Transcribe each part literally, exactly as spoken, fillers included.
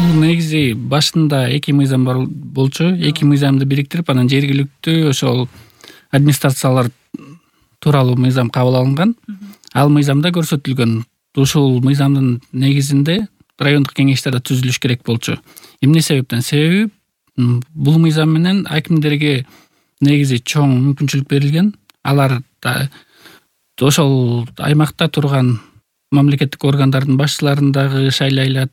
Бул негизи башында эки мыйзам бар болчу. Эки мыйзамды бириктирип, анан жергиликтүү ошол администрациялар тууралуу мыйзам кабыл алынган. Ал мыйзамда көрсөтүлгөн. Ушул мыйзамдын негизинде райондук кеңештер да түзүлүш керек болчу. Эмне себептен? Себеби бул мыйзам менен акимдерге негизи чоң мүмкүнчүлүк берилген. Алар ошол аймакта турган мамлекеттик органдардын башчыларын дагы шайлай алат.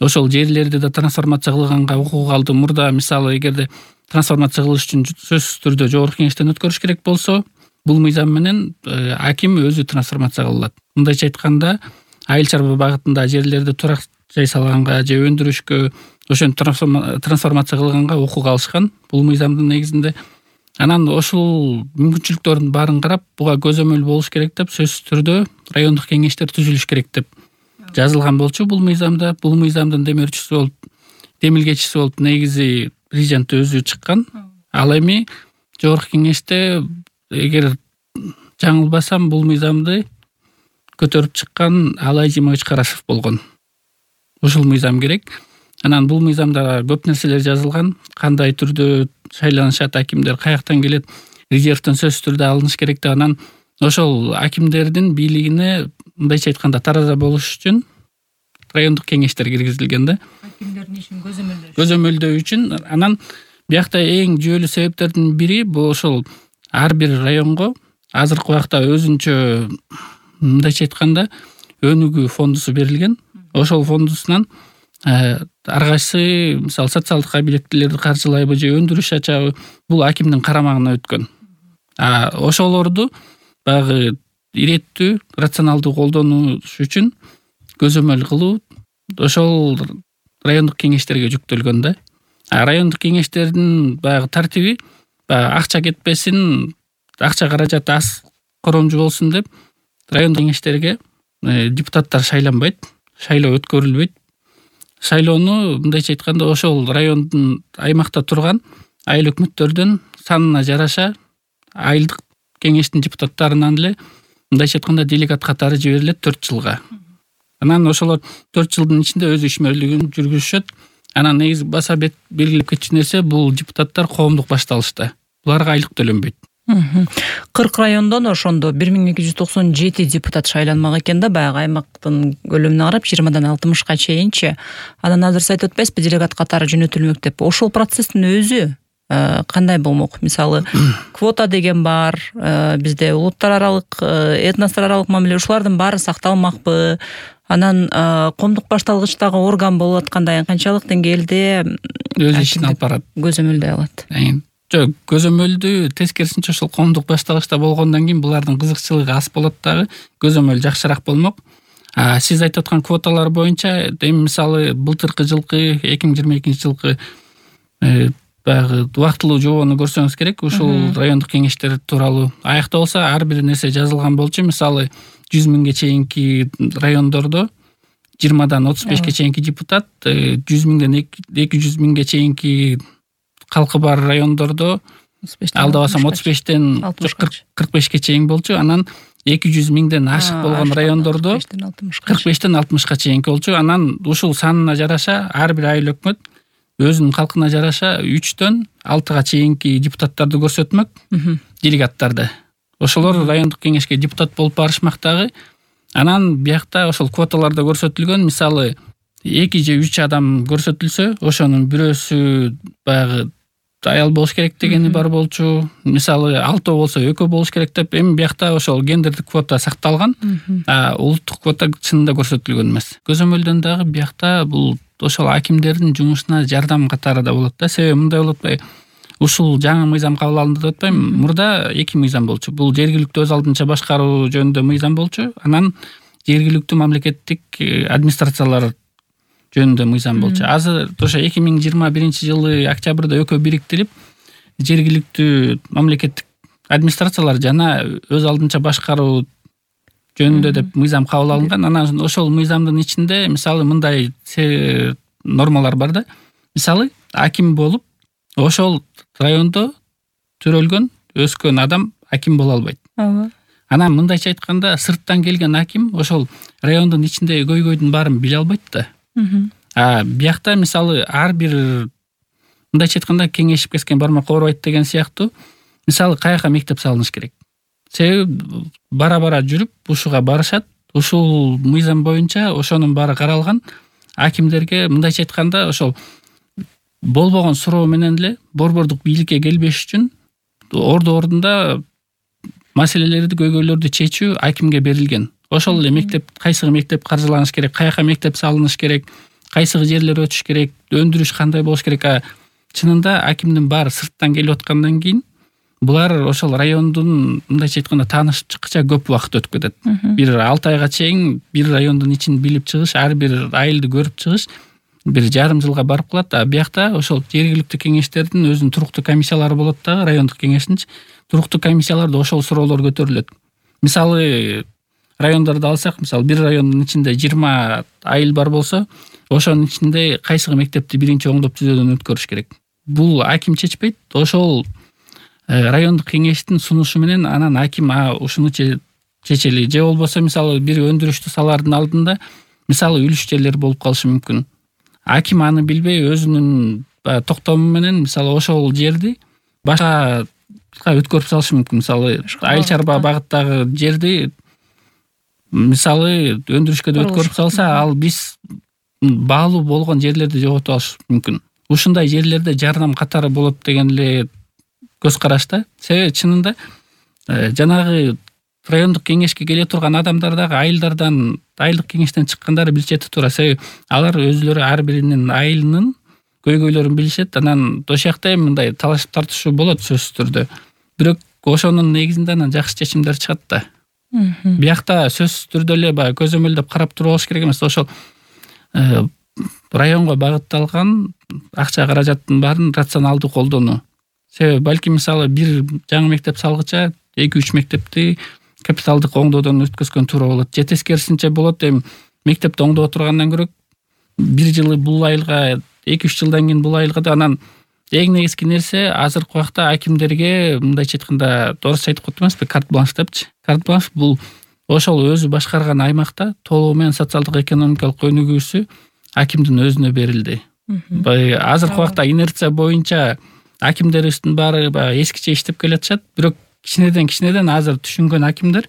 Ошол жерлерди да трансформация кылганга укук алды. Мурда мисалы эгерде трансформация кылыш үчүн сөзсүз түрдө жогорку кеңештен өткөрүш керек болсо, бул мыйзам менен аким өзү трансформация кылат. Мындайча айтканда, айыл чарба багытында жерлерди турак жай салганга же өндүрүшкө ошентип трансформация кылганга укук алышкан бул мыйзамдын негизинде. Анан ошол мүмкүнчүлүктөрдүн баарын карап, буга көзөмөл болуш керек деп, сөзсүз түрдө райондук кеңештер түзүлүш керек деп жазылган болчу бул мыйзамда. Бул мыйзамдын демөөрчүсү болуп, демилгечиси болуп негизи президент өзү чыккан. Ал эми жогорку кеңеште, эгер жаңылбасам, бул мыйзамды көтөрүп чыккан Алай Жимович Карашев болгон. Ушул мыйзам керек. Анан бул мыйзамда көп нерселер жазылган. Кандай түрдө шайланышат акимдер, каяктан келет, резервден сөзсүз түрдө алыныш керек деп. Анан ошол акимдердин бийлигине мындайча айтканда тараза болуш үчүн райондук кеңештер киргизилген да. Акимдердин ишин көзөмөлдөө көзөмөлдөө үчүн. Анан биякта эң жүйөлүү себептердин бири бул ошол ар бир районго азыркы убакта өзүнчө мындайча айтканда өнүгүү фондусу берилген. Ошол фондусунан ар кайсы мисалы социалдык объектилерди каржылайбы же өндүрүш ачабы, бул акимдин карамагына өткөн. А ошолорду баягы иреттүү, рационалдуу колдонуш үчүн көзөмөл кылуу ошол райондук кеңештерге жүктөлгөн да. А райондук кеңештердин баягы тартиби баягы акча кетпесин, акча каражаты аз коромжу болсун деп райондук кеңештерге депутаттар шайланбайт, шайлоо өткөрүлбөйт. Шайлоону мындайча айтканда ошол райондун аймакта турган айыл өкмөттөрдүн санына жараша айылдык кеңештин депутаттарынан эле мындайча айтканда делегат катары жиберилет төрт жылга. Анан ошолор төрт жылдын ичинде өз ишмерлигин жүргүзүшөт. Анан негизи баса белгилеп кетчү нерсе, бул депутаттар коомдук башталышта. Буларга айлык төлөнбөйт. кырк райондон ошондо бир миң эки жүз токсон жети депутат шайланмак экен да, баягы аймактын көлөмүнө карап жыйырмадан алтымышка чейинчи. Анан азыр сиз айтып атпайсызбы, делегат катары жөнөтүлмөк деп. Ошол процесстин өзү кандай болмок? Мисалы, квота деген бар, бизде улуттар аралык, этностор аралык мамиле, ушулардын баары сакталмакпы? Анан коомдук башталгычтагы орган болуп аткандай канчалык деңгээлде өз ишин алып барат, көзөмөлдөй алат? Жок, көзөмөлдү тескерисинче ошол коомдук башталгычта болгондон кийин булардын кызыкчылыгы аз болот дагы, көзөмөл жакшыраак болмок. А сиз айтып аткан квоталар боюнча, эми мисалы былтыркы жылкы эки миң жыйырма экинчи жылкы баягы убактылуу жобону көрсөңүз керек. Ушул райондук кеңештер тууралуу аякта болсо ар бир нерсе жазылган болчу. Мисалы жүз миңге чейинки райондордо жыйырмадан отуз бешке чейинки депутат, жүз миңден эки жүз миңге чейинки калкы бар райондордо алдабасам отуз бештен кырк бешке чейин болчу. Анан эки жүз миңден ашык болгон райондордо кырк бештен алтымышка чейинки болчу. Анан ушул санына жараша ар бир айыл өкмөт өзүнүн калкына жараша үчтөн алтыга чейинки депутаттарды көрсөтмөк, делегаттарды. Ошолор райондук кеңешке депутат болуп барышмак дагы. Анан биякта ошол квоталарда көрсөтүлгөн, мисалы эки же үч адам көрсөтүлсө, ошонун бирөөсү баягы аял болуш керек дегени бар болчу. Мисалы алтоо болсо экөө болуш керек деп. Эми биякта ошол гендердик квота сакталган, а улуттук квота чынында көрсөтүлгөн эмес. Көзөмөлдөн дагы биякта бул ошол акимдердин жумушуна жардам катары да болот да. Себеби мындай болуп атпайбы? Ушул жаңы мыйзам кабыл алынды деп атпайбы? Мурда эки мыйзам болчу. Бул жергиликтүү өз алдынча башкаруу жөнүндө мыйзам болчу. Анан жергиликтүү мамлекеттик администрациялар жөнүндө мыйзам болчу. Азыр ошо эки миң жыйырма биринчи жылы октябрда экөө бириктирип, жергиликтүү мамлекеттик администрациялар жана өз алдынча башкаруу жөнүндө деп мыйзам кабыл алынган. Анан ошол мыйзамдын ичинде мисалы мындай нормалар бар да. Мисалы аким болуп, ошол райондо төрөлгөн, өскөн адам аким боло албайт. Анан мындайча айтканда, сырттан келген аким ошол райондун ичиндеги көйгөйдүн баарын биле албайт да. А биякта мисалы ар бир мындайча айтканда кеңешип kesкен бармак оорубайт деген сыяктуу мисалы каяка мектеп салыныш керек. Себеби бара бара жүрүп ушуга барышат. Ушул мыйзам боюнча ошонун баары каралган. Акимдерге мындайча айтканда ошол болбогон суроо менен эле борбордук бийликке келбеш үчүн орду ордунда маселелерди, көйгөйлөрдү чечүү акимге берилген. Ошол эле мектеп, кайсыгы мектеп каржыланыш керек, каяка мектеп салыныш керек, кайсыгы жерлер өтүш керек, өндүрүш кандай болуш керек. А чынында акимдин баары сырттан келип аткандан кийин булар ошол райондун мындайча айтканда таанышып чыккыча көп убакыт өтүп кетет. Бир алты айга чейин бир райондун ичин билип чыгыш, ар бир айылды көрүп чыгыш бир жарым жылга барып калат. А биякта ошол жергиликтүү кеңештердин өзүнүн туруктуу комиссиялары болот дагы, райондук кеңештинчи туруктуу комиссияларда ошол суроолор көтөрүлөт. Мисалы райондорду алсак, мисалы бир райондун ичинде жыйырма айыл бар болсо, ошонун ичинде кайсыгы мектепти биринчи оңдоп түзөөдөн өткөрүш керек. Бул аким чечпейт. Ошол райондук кеңештин сунушу менен анан аким а ушуну чечели. Же болбосо мисалы бир өндүрүштү салаардын алдында мисалы үлүш жерлер болуп калышы мүмкүн. Аким аны билбей өзүнүн токтому менен мисалы ошол жерди башка өткөрүп салышы мүмкүн. Мисалы айыл чарба багыттагы жерди мисалы өндүрүшкө да өткөрүп салса, ал биз баалуу болгон жерлерди жоготуп алыш мүмкүн. Ушундай жерлерде жардам катары болот деген эле көз карашта. Себеби чынында жанагы райондук кеңешке келе турган адамдар дагы айылдардан, айылдык кеңештен чыккандары билишет туура. Себеби алар өзүлөрү ар биринин айылынын көйгөйлөрүн билишет. Анан ошол жакта эми мындай талашып тартышуу болот сөзсүз түрдө. Бирок ошонун негизинде анан жакшы чечимдер чыгат да. Биякта сөзсүз түрдө эле баягы көзөмөлдөп карап туруп алыш керек эмес. Ошол районго багытталган акча каражаттын баарын рационалдуу колдонуу. Себеби балки мисалы бир жаңы мектеп салгыча эки үч мектепти капиталдык оңдоодон өткөзгөн туура болот. Же тескерисинче болот, эми мектепти оңдоп отургандан көрө бир жылы бул айылга, эки үч жылдан кийин бул айылга да. Анан эң негизги нерсе азыркы убакта акимдерге мындайча айтканда орусча айтып коет эмеспи, карт бланш депчи. Карт бланш бул ошол өзү башкарган аймакта толугу менен социалдык экономикалык өнүгүүсү акимдин өзүнө берилди. Азыркы убакта инерция боюнча акимдерибиздин баары баягы эскиче иштеп келатышат. Бирок кичинеден кичинеден азыр түшүнгөн акимдер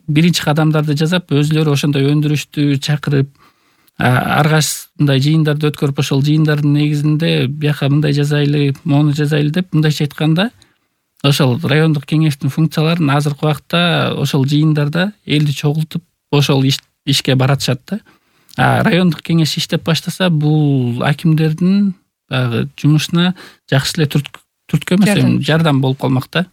биринчи кадамдарды жасап, өзүлөрү ошондой өндүрүштү чакырып, ар кайсы мындай жыйындарды өткөрүп, ошол жыйындардын негизинде бияка мындай жасайлы, мону жасайлы деп мындайча айтканда ошол райондук кеңештин функцияларын азыркы убакта ошол жыйындарда элди чогултуп ошол ишке баратышат да. А райондук кеңеш иштеп баштаса, бул акимдердин баягы жумушуна жакшы эле түрткү эмес, жардам болуп калмак да.